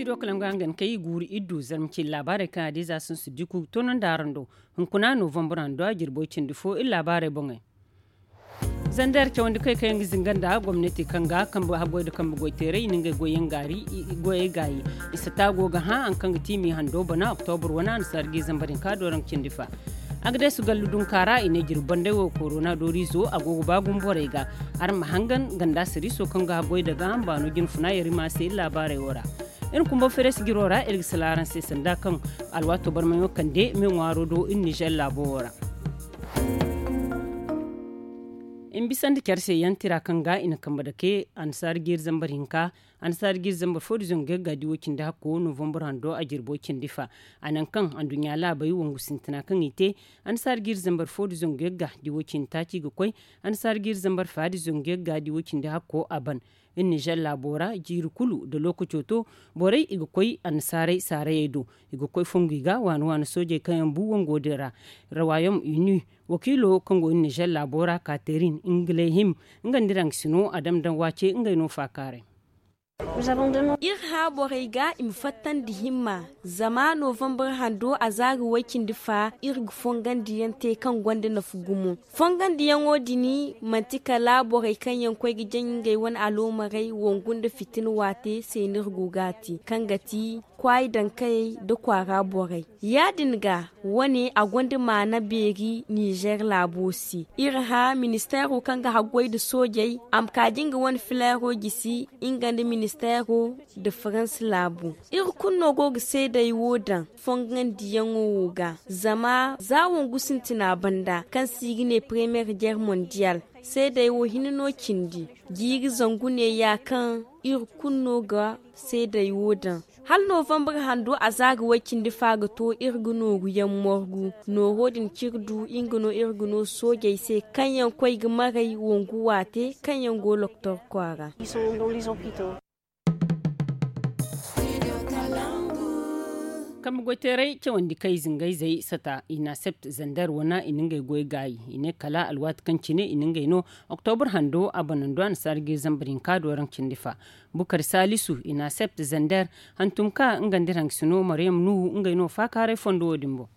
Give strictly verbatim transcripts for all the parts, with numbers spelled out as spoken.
To kala nga hangan kay guuru iddu zarma cindi laabaarey kaŋ a di za sun si diku tono nda araŋ do. Hunkuna novembre hando a jirbo cindi fo iri laabaarey boŋey. Zander cawandi kay kaŋ yaŋ ga zinga nda gomnati kaŋ ga kambe haggoy nda kambe goyteeray i na ngey goyyaŋ gaari goyey gaayi. I si ta go ga hã haŋ kaŋ ga ti mi hando bana oktobre wane a na sargi zambar hinka do raŋ cindi fa. Agades gallu dunka ra i ne jirbi banday wo korona dooriizo a go ga ba gumo borey ga. Araŋ ma hangan ganda siriiso kaŋ ga haggoy daga hambaano jinfuna yarima se iri laabaarey wo ra. Iri kumba feres jiro ra iri ga sila araŋ se sanda kaŋ alwaato barmayaŋo kande me ŋwaaro do iri nizer laabo wo ra. I ma bisa nda care se yaŋ tira kaŋ ga i na kambe dake annasaara jiiri zambar hinka. Annasaara jiiri zambar fo da zangu yagga di wo cindi hakko novembre hando a jirbo cindi fa. A naŋ kaŋ anduɲɲa laabey wangu sintina kaŋ i te. Annasaara jiiri zambar fo da zangu yagga di wo cindi taaci ga koy. Annasaara jiiri zambar fa da zangu yagga di wo cindi hakko a ban. Iri nizer laabo ra jiiri kulu da lookaco to. Borey i ga koy annasaarey saarayey do. I ga koy fongu i ga waani waani soojey kaŋ yaŋ bu wango din ra. Rawayom uni wakiilo kaŋ go iri nizer laabo ra katerin nga lay him. Nga nda iraŋ ga si no a dam daŋ waace ngey no faakaaray. Iri hã borey ga i ma fattandi himma. Zama novembre hando a zaari way-cindi fa iri ga fongandiyaŋ te kaŋ gonda nafa gumo. Fongandiyaŋo din manti kala borey kaŋ yaŋ koy ga jaŋ ngey wane aloomarey wangu nda fitina waate se no iri go ga a te kaŋ ga ti kwaayi dankayey nda kwaara borey. Ya-din ga wane a gonda maana beeri nizer laabo se. Iri hã ministeero kaŋ ga haggoy nda soojey a ma kaaji nga wane fileero gisi nga nda ministeero nda farans laabo. Iri kulu no go ga seeday wo daŋ fongandiyaŋo wo ga. Zama za wangu sintina banda kaŋ se i ga ne premiyer geer mondiyal seeday wo hinne no cindi. Jiiri zangu neeya kaŋ iri kulu no ga seeday wo daŋ. Hala novembre hando a za ga way-cindi fa ga to iri ga nooru yaŋ morgu nooro din ciri du nga no iri ga no soojey se kaŋ yaŋ koy ga maray wangu waate kaŋ yaŋ go loktor kwaara. Kambe goyteeray cawandi kay zingayzey sata inasept zander wana i na ngey goy gaayi i ne kala alwaati kaŋ cine i na ngey no. Oktobre hando a banando annasaara ga zambar hinka do raŋ cindi fa. Bukar salisu inasept zander hantum ka nga nda iraŋ ga si no maryam nuhu ngey no faakaaray fondo wo-din boŋ.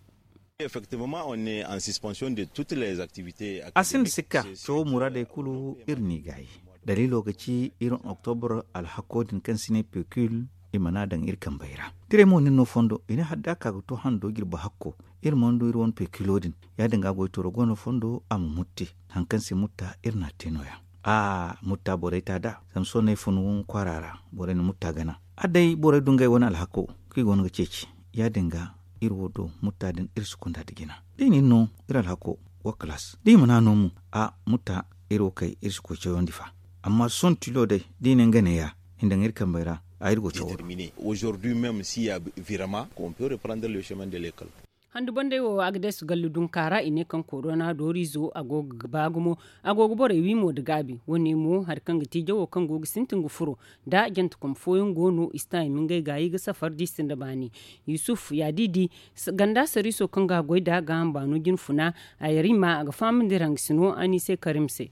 A sinda sikka cawo muraadey kulu iri n'i gaayi. Daliilo ga ci iri oktobre alhakko din kaŋ si ne pekul i mana daŋ iri kambey ra. Tirey mo nin no fondo i ne hala da a ka ga to hando jirbi hakko iri mana du iri wane pekulo din. Ya-din ga goytooro go no fondo a ma mutti. Hari kaŋ se mutta iri n'a te nooya. A mutta borey ta da zama sohõ no ay fun kwaara ra. Borey na mutta gana a day borey du ngey wane alhako kaŋ i go no ga ceeci. Ya-din ga iri wo do mutta din iri si kunda nda jina da i na iri no iri alhako. Wa kalaas da i mana no mo a mutta iri wo kay iri si koy cawandi fa. Amma sohõ tilo day da i ne nga neeya i na daŋ iri kambey ra a iri go cawo. Handu banday wo agades gallu dunka ra i ne kaŋ korona dooriizo a go ga ba gumo. A go ga borey wi mo nda gaabi wane mo hari kaŋ ga ti jawo kaŋ go ga sintin ga furo. Da jantakom fooyaŋ go no i si ta i ma ngey gaayi ga safar da i sinda baani. Yusuf ya di di ganda sariiso kaŋ ga a goy nd'a ga hamba no jinfuna. A yar i ma a ga fahamandi raŋ ga si no a n'i se karim se.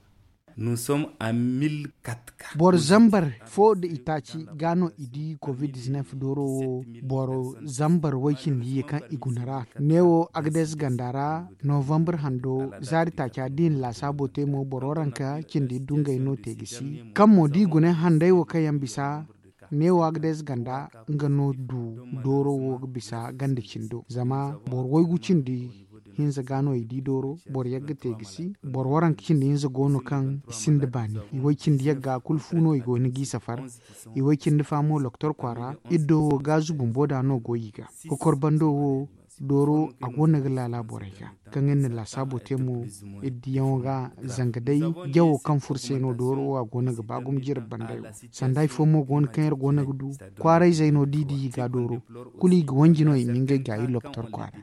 Boro zambar fo nda itaaci ga no i di covid-19 dooro wo. Boro zambar way-cindi ye kaŋ i guna ra neewo agades ganda ra. Novambar hando zaari taaca da i na laasaabo te mo boro ranka cindi dungay no te ga si kaŋ mo da i guna handay wo kaŋ yaŋ bisa. Neewo agades ganda nga no du dooro wo ga bisa ganda cindo zama boro waygu cindi hinza ga no i di dooro. Boro yagga te ga si boro waranka cindi hinza go no kaŋ i sinda baani i way cindi yagga kulu fu no i go ni g'i safar. I way cindi fa mo loktor kwaara iddo wo gaazu bumbo da no go i ga. Kokor bando wo dooro a go no ga laala borey ga kaŋ iri na laasaabo te mo. Iri diyaŋo ga zanga day jawo kaŋ furo se no dooro wo a go no ga ba gumo jirbi banday wo. Sanda hari fo mo go no kaŋ iri go no ga du kwaarayzey no da i di i ga dooro kulu i ga wanji no i ma ngey gaayi loktor kwaara.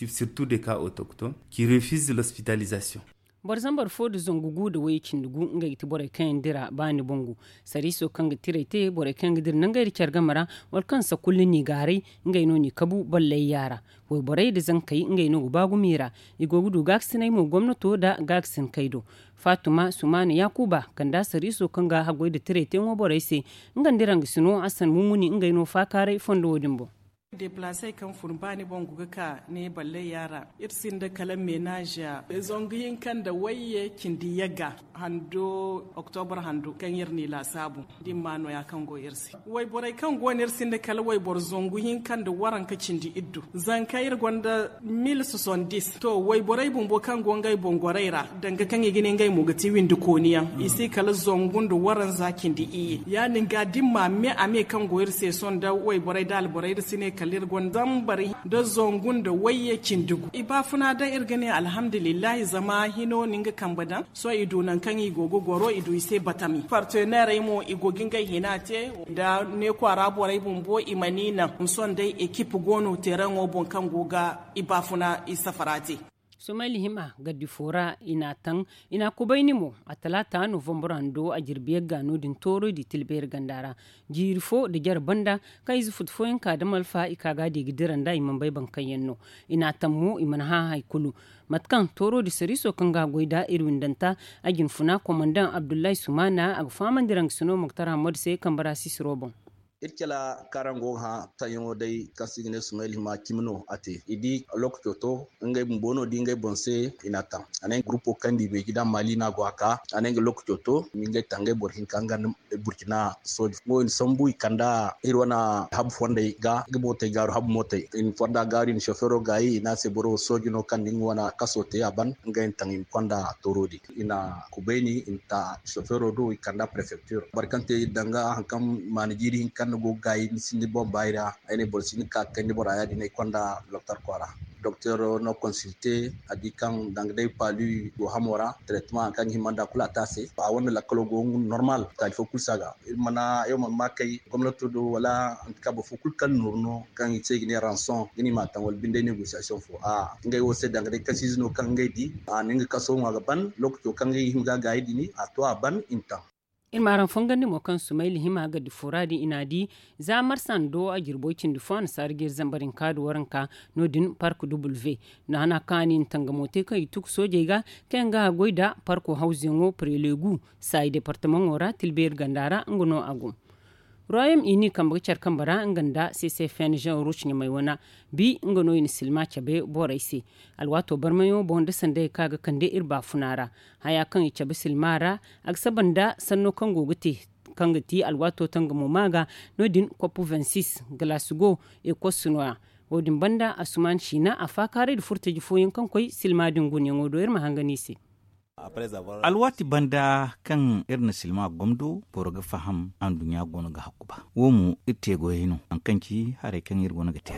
Surtout des cas autochtones qui refusent l'hospitalisation. Boro zambar fo nda zangu gu nda wayye cindi gu ngey ga ti borey kaŋ yaŋ dira baani bangu. Sariiso kaŋ ga tiray te borey kaŋ yaŋ ga dira nangey nda care game ra, wala kaŋ sakulla n'i gaaray, ngey no n'i kabu ballayya ra. Wayborey nda zankey ngey no ga ba gumo i ra. I go ga du gaakasinay mo gomnato nda gaakasinkey do. Faatuma sumaana yaakuba kanda sariiso kaŋ ga haggoy nda tiray teeŋo borey se. Nga nda iraŋ ga sino hasan mummuni ngey no faakaaray fondo wo- din boŋ. Deplaasey kaŋ fun baani boŋ go ga ka ne ballayya ra. Iri sinda kala meenaaza zangu hinka nda wayye cindi yagga hando, oktobra hando kaŋ iri n'i laasaabu. Din ma nooya kaŋ go iri se. Wayborey kaŋ go no iri sinda kala wayboro zangu hinka nda waranka cindi iddu. Zanka iri gonda mil sosondis to wayborey bumbo kaŋ go ngey boŋ gorey ra, danga kaŋ i ga ne ngey mo ga ti windi kooniyaŋ i si kala zangu nda waranza cindi iyye. Ya- din ga da iri ma me a me kaŋ go iri se sohõ nda wayborey nda alborey iri si ne kala iri gonda zambar nda zangu nda wayye cindi gu i baafuna daŋ iri ga ne alhamdulillahi zama hino na nga kambe daŋ. Sohõ i du nangu kaŋ i go ga goro i du i se batami parteneerey mo i go ga ngey hina te. Da ne kwaara borey bumbo i mana i naŋ sohõ day ekip go no teeraŋo boŋ kaŋ go ga i baafuna i safara te. Sumayla hima gaddi fo ra i n'a taŋ, i n'a kubayni mo a talaata novambur hando a jirbi yagga no- din toorey di tilbeeri ganda ra. Jiiri fo nda jare banda kaŋ ize futu fooyaŋ ka da malfa i ka ga a di ga dira nd'a i mana bay boro kaŋ yaŋ no. I n'a taŋ mo i mana hã hari kulu. Mate kaŋ tooro din sariiso kaŋ ga a goy nd'a iri windanta a jinfuna komandaŋ abdullahi sumaana a ga fahamandi raŋ ga sino moktar hammadu se kambe ra sisiro boŋ. Iri cala kaŋ araŋ go ga hã taŋyaŋo day kaŋ se i ga ne sumayla hima cimi no a te i di lokaco to. Ngey bumbo no di ngey boŋ se i n'a taŋ a ne gurupo kaŋ di beeji da maali no a go a ka a ne nga lokaco to. Ngey taŋ ngey boro hinka nga nda burkina sooji fo i na sambu i kanda iri wane habu fondey ga nga mootey gaaru habu mootey i na fonda gaaru i na sofeero gaayi i ne a se boro wo sooji no kaŋ da nga wane kaso te a ban. Ngey na taŋ i ma konda tooro din i na kubayni i na ta sofeero do i kanda prefecture boro kaŋ te danga hari kaŋ maana jiiri hinka kaŋ ni go ga gaayi ni sinda boŋ baayi ra. Ay ne boro si ni ka kayndi bora ya- din ay konda doktor kwaara. Doktor no consulte a di kaŋ danga day palu go hamo ra traitement hari kaŋ ga hima nda kulu a te a se a wane lakkalo go normal taali fo kulu si a ga. Iri mana ay wo mana ma kay gomnato do wala antika boro fo kulu kaŋ nooru no kaŋ i se i ga ne ranson ga ni ma a taŋ wala binde négociation fo a ngey wo se danga day kasiize no kaŋ ngey di a na nga kaso ŋwa ga ban lokaco kaŋ ngey ga hima ga a gaayi din a to a ban i ma taŋ. Iri ma araŋ fongandi mo kaŋ sumayla hima ga di fura din i n'a di za marsando a jirbo cindi fo a na saara ga iri zambar hinka nda waranka. No- din park w no hana kaŋ a ne i na tangamo te kaŋ i tuku soojey ga kaŋ yaŋ ga a goy nda parko hawzuyaŋo prelegu saayi departamaŋo ra tilbeeri ganda ra nga no a go. Royaume uni kambe ga care kambe ra nga nda ccfn jean rouge ɲamay wana bi nga no i na silma cabe borey se. Alwaato barmayaŋo boŋ nda sanday kaŋ a ga kande iri baafuna ra haya kaŋ i cabe silma ra a ga saba nda sanno kaŋ go ga te kaŋ ga ti alwaato tangamo ma ga. No- din kopu vingt six glasgow ekos no- ya. Wo- din banda asuman siina a faakaaray nda furtaji fooyaŋ kaŋ koy silma din gunayaŋo do iri ma hangan i se. Alwaati banda kaŋ iri na silma gomdo boro ga faham anduɲɲa goono ga hakku ba. Wo mo iri te goyey no hari kaŋ ci haray kaŋ iri goono ga te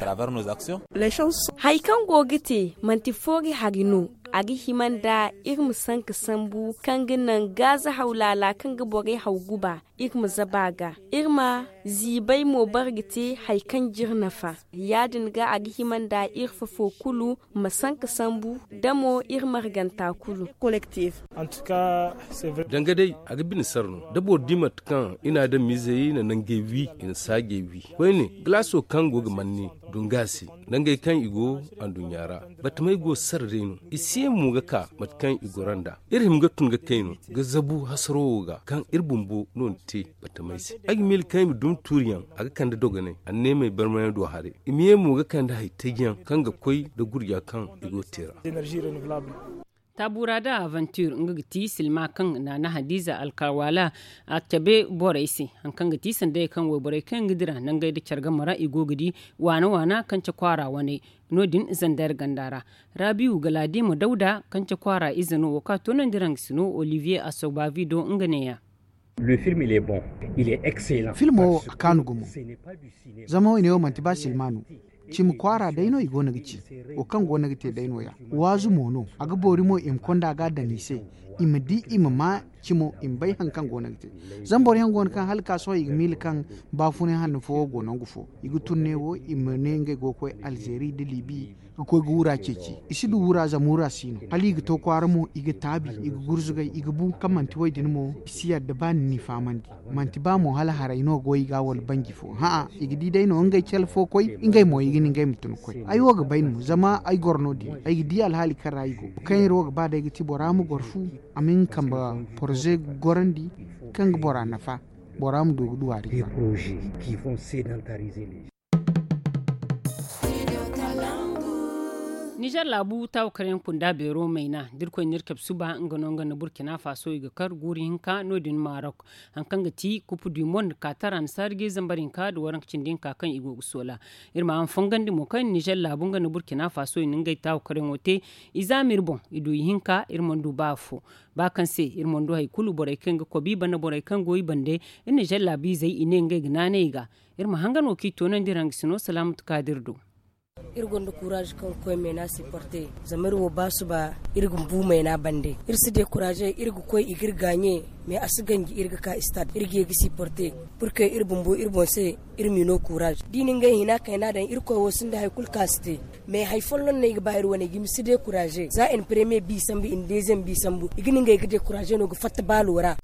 hari kaŋ go ga te manti foori hari no. A ga hima nda iri ma sanka sambu kaŋ ga naŋ gaaza haw laala kaŋ ga borey haw guba iri ma zaba a ga iri ma ziibay mo bare ga te hari kaŋ jiri nafa. Ya- din ga a ga hima nda iri fafo kulu ma sanka sambu da mo iri marganta kulu. Danga day a ga bine sara no da boro di mate kaŋ i n'a daŋ miizey na nangey wi i na saajey wi koyne galaaso kaŋ go ga manne dunga se nangey kaŋ i go anduɲɲa ra. Batamey go sara day no i si ye mo ga ka mate kaŋ i goro nd'a. Iri hima ga tun ga kay no ga zabu hasaro wo ga kaŋ iri bumbo no ni te batamey se. Ay ga miila kaŋ i ma dumi tuuriyaŋ a ga kande dogonay anneemey barmayaŋ do haray. I ma ye mo ga kande hari taji yaŋ kaŋ ga koy nda gurja kaŋ i go ga te ra. Taabura da aventure nga ga ti silma kaŋ naana hadiza alkawala a cabe borey se. Hari kaŋ ga ti sanday kaŋ wayborey kaŋ yaŋ ga dira nangey nda care game ra i go ga di waana waana kance kwaara waney. No- din zander ganda ra rabiwu galadima dawda kance kwaara ize no wo kaŋ a toonandi raŋ ga si no olivier asobavi do nga neeya. Filmo wo a kaanu gumo. Zama wo i ne wo manti ba silma no. Cimi kwaara day no i go no ga ci. Wo kaŋ go no ga te day no- ya waazu mo no a ga boori mo i ma konda ga a daŋ i se. I ma di i ma ma cimo i ma bay hari kaŋ go no ga te. Zama boro yaŋ go no kaŋ hala ka sohõ i ga miila kaŋ baafunay hanno fo wo go nangu fo i ga tun ne wo i ma ne ngey go ga koy alzeeri nda libi. ga koy ga wura ceeci. I si du wura zama wura si no hala i ga to kwaara mo i ga taabi, i ga gurzugay, i ga bu kaŋ manti wo- din mo i si yadda ba ni n'i fahamandi. Manti ba mo hala haray no go i ga wala banji fo ha'a, i ga di day no ngey cale fo koy, ngey mo i ga ni ngey ma tun koy. Ay wo ga bay no zama ay goro no- din, ay ga di alhaali kaŋ ra i go. Kaŋ iri wo ga ba day ga ti bora ma goro fu, a ma hin ga kambe poroze gorandi kaŋ ga bora nafa, bora ma du ga du hari. Nizer laabu taawa kaŋ yaŋ kunda beero mayna da irkoy na iri cabe suba nga no nga nda burkina faso i ga kar guuru hinka no- din maarok. Hari kaŋ ga ti kupu du mond kaatara na saari ga zambar hinka nda waranka cindi hinka kaŋ i go ga soola. Iri ma haŋ fongandi mo kaŋ nizer laabu nga nda burkina faso i na ngey taawa kaŋ yaŋo te. I zaama iri boŋ, i du ihinka, iri mana du ba afo. Ba kaŋ se iri mana du hari kulu, borey kaŋ ga kobi i banda, borey kaŋ go i bande, iri nizer laabu izey i ne ngey ga naanay i ga. Iri ma hangan wo kaŋ i toonandi iri hangasino salaamatu kaadir do. Iri gonda kuraazi kaŋ ga koy meena siporte. Zama iri wo ba suba, iri ga bu meena bande. Iri si dekuraaze, iri ga koy i ga iri gaaɲe. Mais a si ganji iri ga ka istad iri ga ye ga siporte. Purke iri bumbo iri boŋ se, iri m'i no kuraazi da i na ngey hina kayna daŋ irkoy wo sinda hari kulu kaŋ a si te. Mais hari folloŋ no ay ga ba iri wane i ga ma si dekuraaze za in premiye bi sambu in deziyeŋ bi sambu i ga na ngey ga dekuraaze no ga fatta baalo ra.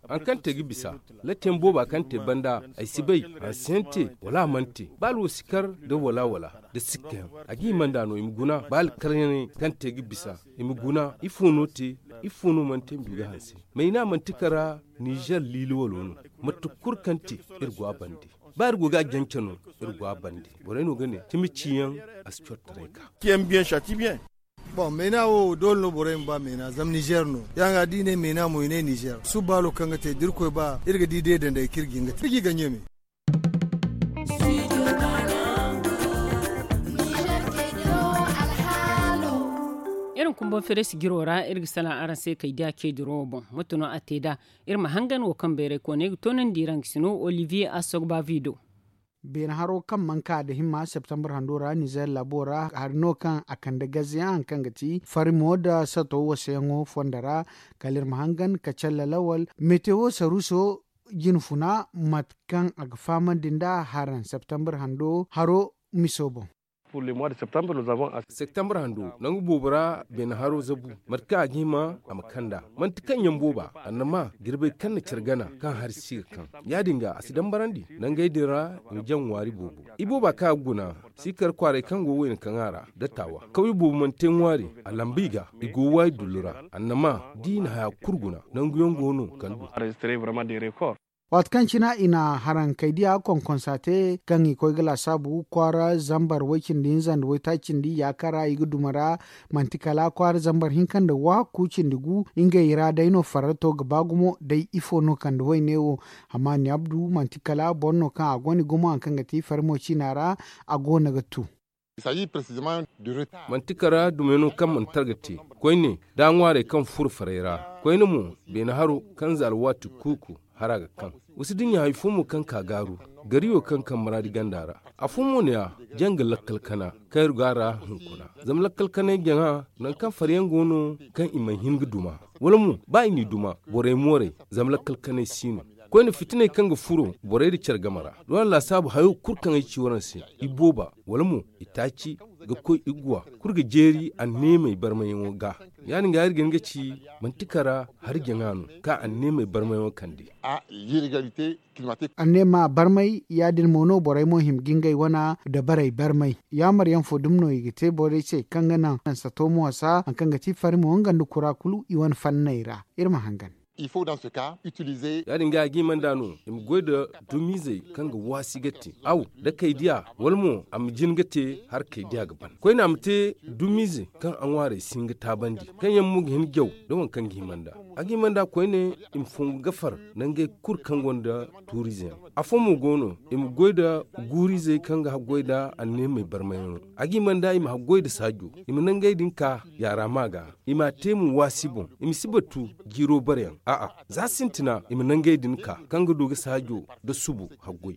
Hari kaŋ te ga bisa, lattiyaŋ booba kaŋ te banda, ay si bay, a si yaŋ te, wala a mana te. Baalo wo si kar nda wala wala nda sikkayaŋ. A ga hima nd'a no i ma guna baalo karyaŋey kaŋ te ga bisa, i ma guna ifo no te, ifo no mana te ma du ga hanse. Mayna manti kara nizer liili walo no. Mate kulu kaŋ te, iri go a bande. Ba iri go ga a jance no, iri go a bande. Borey no ga ne cimi ciyaŋ, a si cortaray ka. Boŋ meena wo doole no borey ma ba meena zama nizer no. Ya nga da i ne meena mo i ne nizer suba baalo kaŋ ga te da iri koy ba iri ga di day danday kaŋ iri ga hin ga te iri g'i gaɲe me. Iri ma kumbaŋ fereesi jiro ra iri ga salaŋ araŋ se kay diya ce dirawo boŋ. Mate no a te nd'a? Iri ma hangan wo kaŋ bayray kooney ga toonandi iri hangasino olivier asogba vido. Beene haro kaŋ mana ka nda himma septembre hando ra nizer laabo ra hari no kaŋ a kande gazeyaŋ hari kaŋ ga ti farimo nda sato wasayaŋo fondo ra. Kala iri ma hangan ka calle lawal metewo saruuso jine funa mate kaŋ a ga fahamandi nd'a haraŋ septembre hando haro miso boŋ. Septembre hando nangu boobo ra beene haro zabu mate kaŋ a ga hima a ma kand'a. Manti kaŋ yaŋ booba annama jirbey kaŋ na care gana kaŋ hari si ga kaŋ. Ya- din ga a si dambarandi nangey din ra i ma jaŋ ŋwaari boobo. Ibooba kaŋ a ga guna si kar kwaaray kaŋ go wayna kaŋa ra nda taawa kawye boobo mana te ŋwaari. A lamba i ga i go waayi dullu ra. Annama da i na haya kulu guna nanguyaŋ go no kaŋ du. Waati kaŋ cina i na harankey diya konkonsa te kaŋ i koy ga laasaabu kwaara zambar way-cindi hinza nda waytaaci cindi yaaka ra i ga duma ra. Manti kala kwaara zambar hinka nda waakku cindi gu ngey ra day no farrato ga ba gumo day ifo no kande wayne wo. Hamani abdu manti kala boro no kaŋ a gonda gumo hari kaŋ ga ti farmo ciina ra a go no ga tu. Manti kara dumayano kaŋ mana targa te koyne da ŋwaarey kaŋ furo farey ra. Koyne mo beene haro kaŋ za alwaati kuuku hara ga kaŋ. Wa si dinya hari fo mo kaŋ ka gaaru gariyo kaŋ kaŋ maraadi ganda ra. Afo mo ne-ya jaŋ ga lakkal kana kaŋ iri go a ra hunkuna. Zama lakkal kanay jaŋa nangu kaŋ fariyaŋ go no kaŋ i mana hin ga duma wala mo ba i n'i duma borey moorey. Zama lakkal kanay si no koyne fitiney kaŋ ga furo borey nda care game ra. Doona laasaabu hayo kulu kaŋ ay ci waraŋ se, ibooba wala mo itaaci ga koy iguwa kulu ga jeeri anneemey barmayyaŋo ga. Ya- din ga iri ga hin ga ci manti kara hari jaŋa no kaŋ anneemey barmayyaŋo kande. Anneema barmay ya- din mo no borey mo hima ga ngey wana dabarey barmay. Yaamaryaŋ fo dumi no i ga te borey se kaŋ ga naŋ sato mo wasa hari kaŋ ga ti farimo nga nda kura kulu i wane fanney ra. Iri ma hangan. Ya- din ga a ga hima nd'a no i ma goy nda dumiizey kaŋ ga waasi ga te aw da kay diya wala mo a ma jin ga te hari kay diya ga ban koyne a ma te dumiize kaŋ a ŋwaarey si hin ga taabandi kaŋ yaŋ mo ga hin jaw nda waŋ kaŋ ga hima nd'a. A ga hima nd'a koyne i ma fongu gafar nangey kulu kaŋ gonda tuuriize yaŋ. Afo mo go no i ma goy nda guuriizey kaŋ ga haggoy nda anneemey barmayyaŋo. A ga hima nd'a i ma haggoy nda saajo i ma nangey din ka yaara ma ga. I m'a te mo waasi boŋ i ma si batu jiiro bareyaŋ a'a za sintina i ma nangey din ka kaŋ ga du ga saajo nda subu haggoy.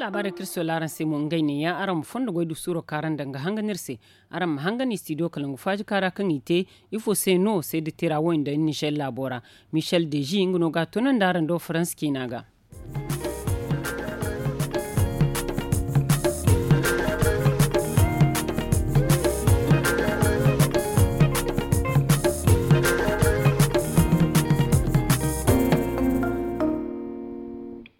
Laabaarey kaŋ iri sola araŋ se mo ngey neeya araŋ ma fondo goy du suuro kaŋ araŋ daŋ ga hangan iri se. Araŋ ma hangan istidiyo kala ngu faaji kaara kaŋ i te. Ifo se no seede tira wo nda nizer laabo ra? Michel deji nga no ga a toonandi araŋ do faransa ciina ga.